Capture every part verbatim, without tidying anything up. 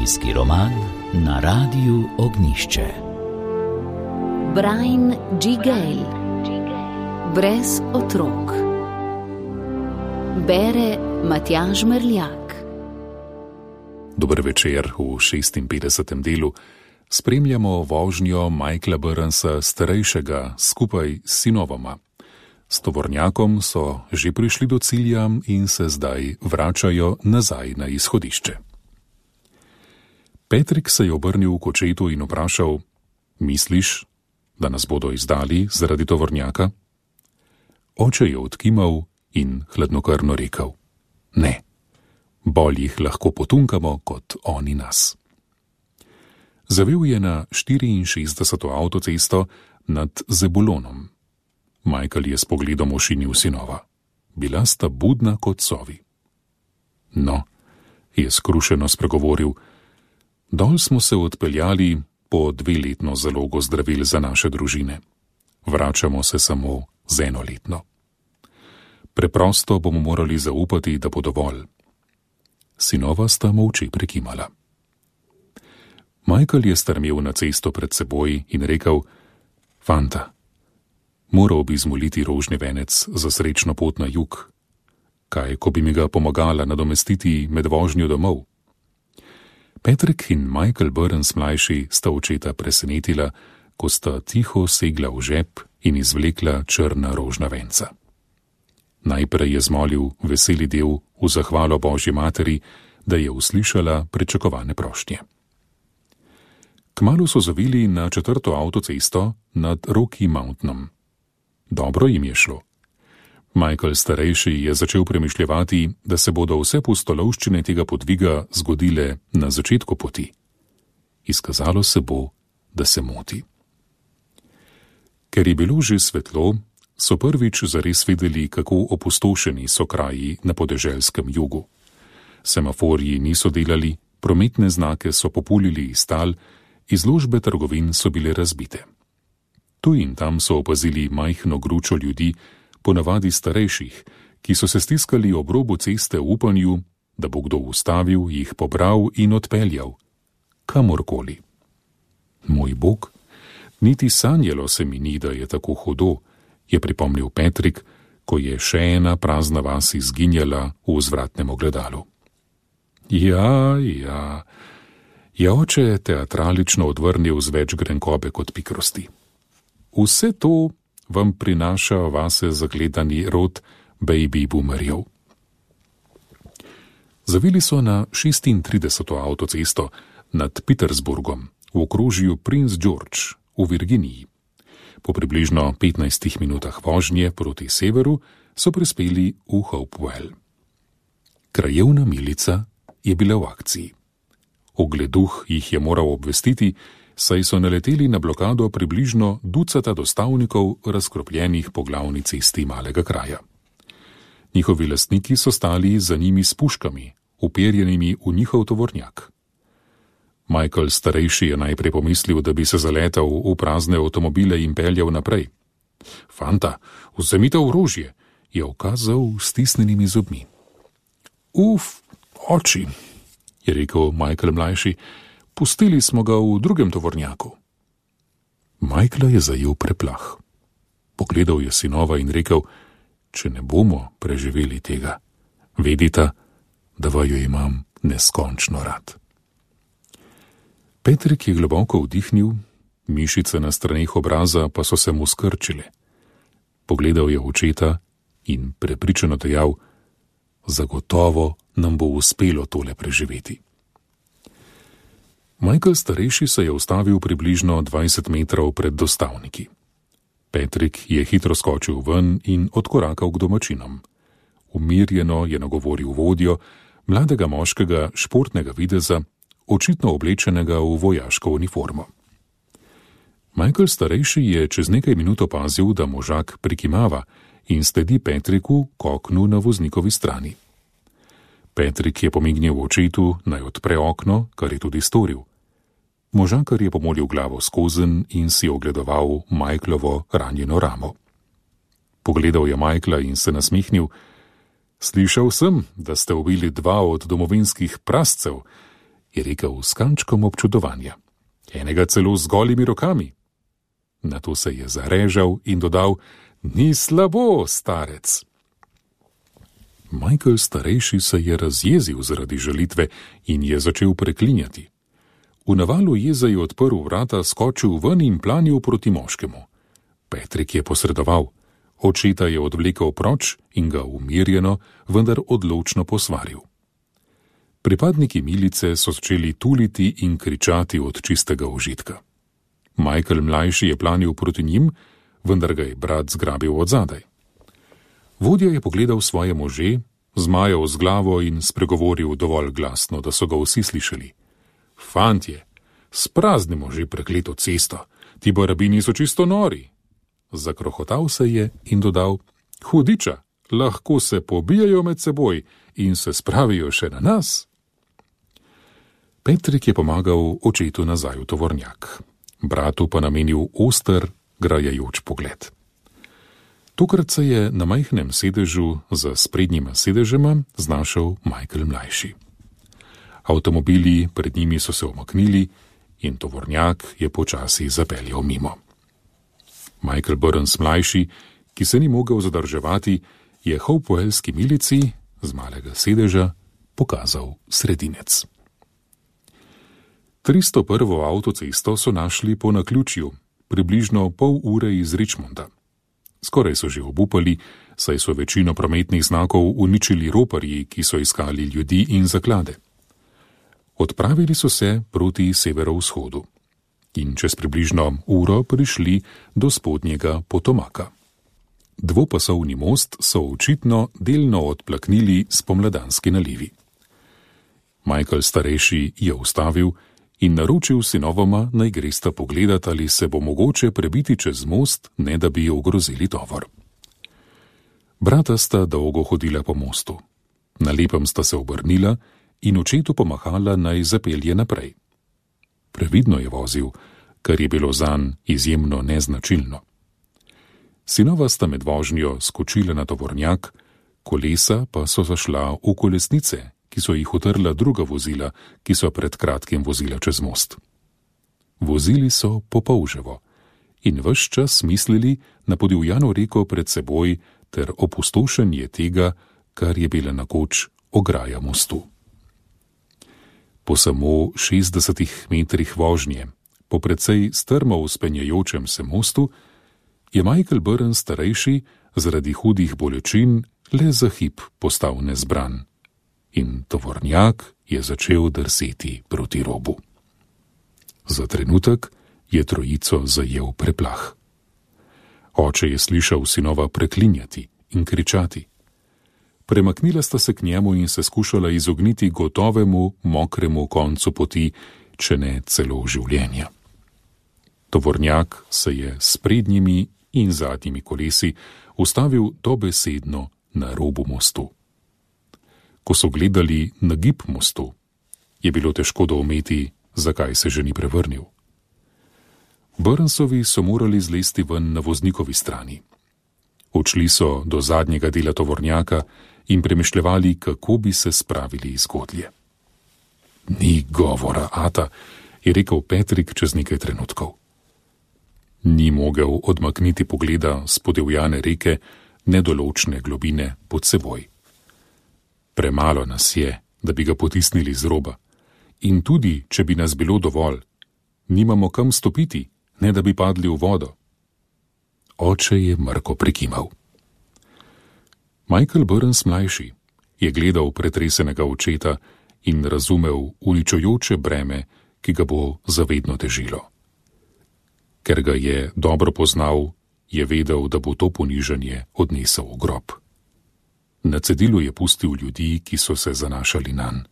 Družinski roman na Radiu Ognjišče. Brian G. Gale. Brez otrok. Bere Matjaž Merljak. Dober večer. V šestinpetdesetem delu spremljamo vožnjo Michaela Burnsa starejšega skupaj s sinovoma. S tovornjakom so že prišli do cilja in se zdaj vračajo nazaj na izhodišče. Patrick se je obrnil k očetu in vprašal: misliš, da nas bodo izdali zaradi tovornjaka? Oče je odkimal in hladnokrvno rekel: ne, bolj jih lahko potunkamo kot oni nas. Zavil je na štiriinšestdeseto avtocesto nad Zebulonom. Michael je s pogledom ošinil sinova. Bila sta budna kot sovi. No, je skrušeno spregovoril, dol smo se odpeljali po dveletno zalogo zdravil za naše družine. Vračamo se samo z enoletno. Preprosto bomo morali zaupati, da bo dovolj. Sinova sta molče prikimala. Michael je strmel na cesto pred seboj in rekel: fanta, moral bi zmoliti rožni venec za srečno pot na jug. Kaj, ko bi mi ga pomagala nadomestiti med vožnjo domov? Patrick in Michael Burns mlajši sta očeta presenetila, ko sta tiho segla v žep in izvlekla črna rožna venca. Najprej je zmolil veseli del v zahvalo Božji materi, da je uslišala pričakovane prošnje. Kmalu so zavili na četrto avtocesto nad Rocky Mountanom. Dobro jim je šlo. Michael starejši je začel premišljevati, da se bodo vse pustolovščine tega podviga zgodile na začetku poti. Izkazalo se bo, da se moti. Ker je bilo že svetlo, so prvič zares videli, kako opustošeni so kraji na podeželskem jugu. Semaforji niso delali, prometne znake so populili iz tal, izložbe trgovin so bile razbite. Tu in tam so opazili majhno gručo ljudi, ponavadi starejših, ki so se stiskali ob robu ceste v upanju, da bo kdo ustavil, jih pobral in odpeljal. Kamorkoli. Moj Bog, niti sanjalo se mi ni, da je tako hudo, je pripomnil Patrick, ko je še ena prazna vas izginjala v vzvratnem ogledalu. Ja, ja, je oče teatralično odvrnil z več grenkobe kot pikrosti. Vse to vam prinaša vase zagledani rod baby boomerjev. Zavili so na šestintrideseto avtocesto nad Petersburgom v okrožju Prince George v Virginiji. Po približno petnajstih minutah vožnje proti severu so prispeli v Hopewell. Krajevna milica je bila v akciji. Ogleduh jih je moral obvestiti, saj so naleteli na blokado približno ducata dostavnikov, razkropljenih po glavni cesti malega kraja. Njihovi lastniki so stali za njimi s puškami, uperjenimi v njihov tovornjak. Michael starejši je najprej pomislil, da bi se zaletel v prazne avtomobile in peljal naprej. Fanta, vzemite orožje, je ukazal s stisnjenimi zobmi. Uf, oči, je rekel Michael mlajši, pustili smo ga v drugem tovornjaku. Michaela je zajel preplah. Pogledal je sinova in rekel: če ne bomo preživeli tega, vedita, da vaju imam neskončno rad. Patrick je globoko vdihnil, mišice na straneh obraza pa so se mu skrčile. Pogledal je očeta in prepričano dejal: zagotovo nam bo uspelo tole preživeti. Michael starejši se je ustavil približno dvajset metrov pred dostavniki. Patrick je hitro skočil ven in odkorakal k domačinom. Umirjeno je nagovoril vodjo, mladega moškega športnega videza, očitno oblečenega v vojaško uniformo. Michael starejši je čez nekaj minut opazil, da možak prikimava in sledi Patricku k oknu na voznikovi strani. Patrick je pomignil očetu, naj odpre okno, kar je tudi storil. Možakar je pomolil glavo skozenj in si ogledoval Michaelovo ranjeno ramo. Pogledal je Michaela in se nasmehnil. Slišal sem, da ste ubili dva od domovinskih prascev je rekel s kančkom občudovanja. Enega celo z golimi rokami. Nato se je zarežal in dodal: Ni slabo, starec. Michael starejši se je razjezil zaradi žalitve in je začel preklinjati. V navalu jeze je odprl vrata, skočil ven in planil proti moškemu. Patrick je posredoval. Očeta je odvlekel proč in ga umirjeno, vendar odločno posvaril. Pripadniki milice so začeli tuliti in kričati od čistega užitka. Michael mlajši je planil proti njim, vendar ga je brat zgrabil od zadaj. Vodja je pogledal svoje može, zmajal z glavo in spregovoril dovolj glasno, da so ga vsi slišali. Fantje, spraznimo že prekleto cesto, ti barabini so čisto nori. Zakrohotal se je in dodal: Hudiča, lahko se pobijajo med seboj in se spravijo še na nas. Patrick je pomagal očetu nazaj v tovornjak, bratu pa namenil oster, grajajoč pogled. Tokrat se je na majhnem sedežu za sprednjima sedežema znašel Michael mlajši. Avtomobili pred njimi so se omaknili in tovornjak je počasi zapeljal mimo. Michael Burns mlajši, ki se ni mogel zadrževati, je hopewellski milici z malega sedeža pokazal sredinec. tristo prvo avtocesto so našli po naključju, približno pol ure iz Richmonda. Skoraj so že obupali, saj so večino prometnih znakov uničili roparji, ki so iskali ljudi in zaklade. Odpravili so se proti severovzhodu in čez približno uro prišli do spodnjega Potomaka. Dvopasovni most so očitno delno odplaknili spomladanski nalivi. Michael starejši je ustavil in naročil sinovoma, naj gresta pogledat, ali se bo mogoče prebiti čez most, ne da bi ogrozili tovor. Brata sta dolgo hodila po mostu. Na lepem sta se obrnila in očetu pomahala, naj zapelje naprej. Previdno je vozil, kar je bilo zanj izjemno neznačilno. Sinova sta med vožnjo skočila na tovornjak, kolesa pa so zašla v kolesnice, ki so jih utrla druga vozila, ki so pred kratkim vozila čez most. Vozili so popolževo in ves čas mislili na podivjano reko pred seboj ter opustošenje tega, kar je bila nekoč ograja mostu. Po samo šestdesetih metrih vožnje, po precej strmo vzpenjajočem se mostu, je Michael Burns starejši zaradi hudih bolečin le za hip postal nezbran in tovornjak je začel drseti proti robu. Za trenutek je trojico zajel preplah. Oče je slišal sinova preklinjati in kričati. Premaknila sta se k njemu in se skušala izogniti gotovemu, mokremu koncu poti, če ne celo življenja. Tovornjak se je s prednjimi in zadnjimi kolesi ustavil dobesedno na robu mostu. Ko so gledali na gib mostu, je bilo težko doumeti, zakaj se že ni prevrnil. Burnsovi so morali zlesti ven na voznikovi strani. Odšli so do zadnjega dela tovornjaka in premišljevali, kako bi se spravili iz godlje. Ni govora, ata, je rekel Patrick čez nekaj trenutkov. Ni mogel odmakniti pogleda s podivjane reke, nedoločne globine pod seboj. Premalo nas je, da bi ga potisnili z roba. In tudi, če bi nas bilo dovolj, nimamo kam stopiti, ne da bi padli v vodo. Oče je mrko prikimal. Michael Burns mlajši je gledal pretresenega očeta in razumel uničujoče breme, ki ga bo zavedno težilo. Ker ga je dobro poznal, je vedel, da bo to ponižanje odnesel v grob. Na cedilu je pustil ljudi, ki so se zanašali nanj.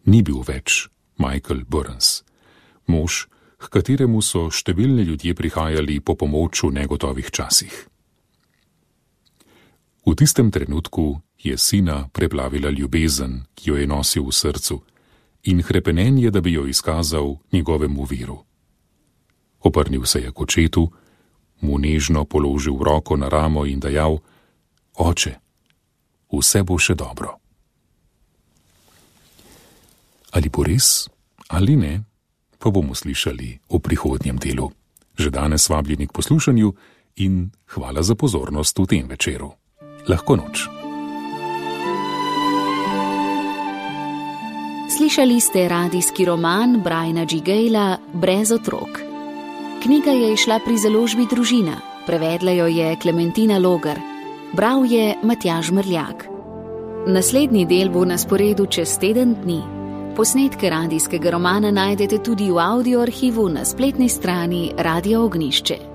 Ni bil več Michael Burns, mož, k kateremu so številni ljudje prihajali po pomoč v negotovih časih. V tistem trenutku je sina preplavila ljubezen, ki jo je nosil v srcu, in hrepenenje, da bi jo izkazal njegovemu viru. Obrnil se je k očetu, mu nežno položil roko na ramo in dejal: Oče, vse bo še dobro. Ali bo res ali ne, pa bomo slišali v prihodnjem delu. Že danes vabljeni k poslušanju in hvala za pozornost v tem večeru. Lahko noč. Slišali ste radijski roman Briana G. Gala Brez otrok. Knjiga je izšla pri založbi Družina, prevedla jo je Klementina Logar, bral je Matjaž Mrljak. Naslednji del bo na sporedu čez teden dni. Posnetke radijskega romana najdete tudi v audio arhivu na spletni strani Radia Ognjišče.